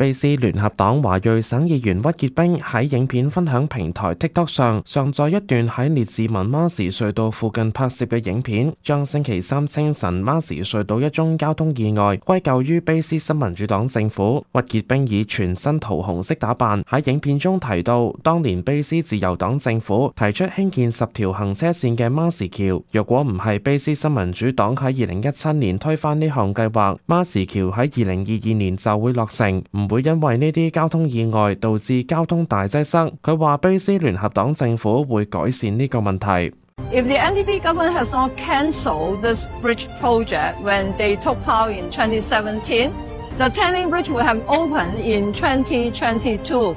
卑詩聯合黨華裔省議員屈傑冰喺影片分享平台 TikTok 上載一段喺列治文馬時隧道附近拍攝嘅影片，將星期三清晨馬時隧道一宗交通意外歸咎於卑詩新民主黨政府。屈傑冰以全身桃紅色打扮喺影片中提到，當年卑詩自由黨政府提出興建10條行車線嘅馬時橋，若果唔係卑詩新民主黨喺2017年推翻呢項計劃，馬時橋喺2022年就會落成，唔會因為呢啲交通意外導致交通大擠塞。佢話卑詩聯合黨政府會改善呢個問題。If the NDP government has not cancelled this bridge project when they took power in 2017, the Tangling Bridge will have opened in 2022.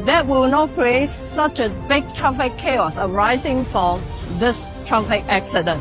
That will not create such a big traffic chaos arising from this traffic accident.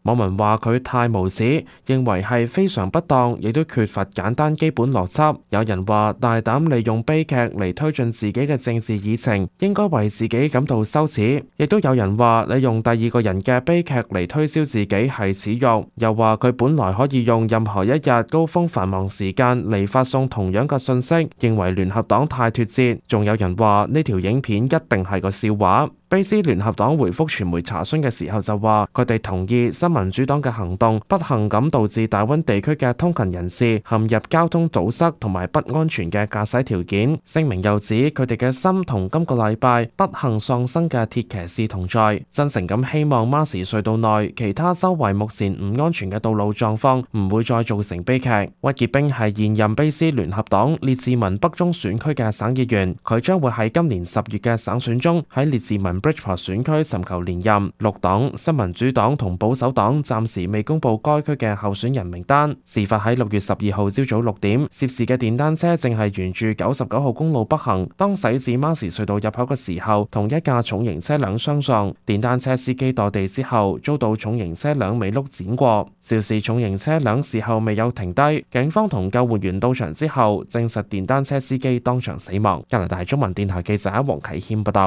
網民話佢太無恥，認為係非常不當，亦都缺乏簡單基本邏輯。有人話大膽利用悲劇嚟推進自己嘅政治議程，應該為自己感到羞恥。亦都有人話利用第二個人嘅悲劇嚟推銷自己係恥辱。又話佢本來可以用任何一日高峰繁忙時間嚟發送同樣嘅信息，認為聯合黨太脫節。仲有人話呢條影片一定係個笑話。卑詩聯合黨回覆傳媒查詢嘅時候就話，佢哋同意新民主黨嘅行動不幸咁導致大溫地區嘅通勤人士陷入交通堵塞同埋不安全嘅駕駛條件。聲明又指佢哋嘅心同今個禮拜不幸喪生嘅鐵騎士同在，真誠咁希望馬時隧道內其他周圍目前唔安全嘅道路狀況唔會再造成悲劇。屈傑冰係現任卑詩聯合黨列治文北中選區嘅省議員，佢將會喺今年10月嘅省選中喺列治文Bridgeport 選區尋求連任。綠黨、新民主黨同保守黨暫時未公布該區嘅候選人名單。事發喺6月12號朝早6點，涉事嘅電單車正係沿住99號公路北行，當駛至馬時隧道入口嘅時候，同一架重型車輛相撞。電單車司機墮地之後，遭到重型車輛尾轆輾過。肇事重型車輛事後未有停低，警方同救援員到場之後，證實電單車司機當場死亡。加拿大中文電台記者黃啟謙報道。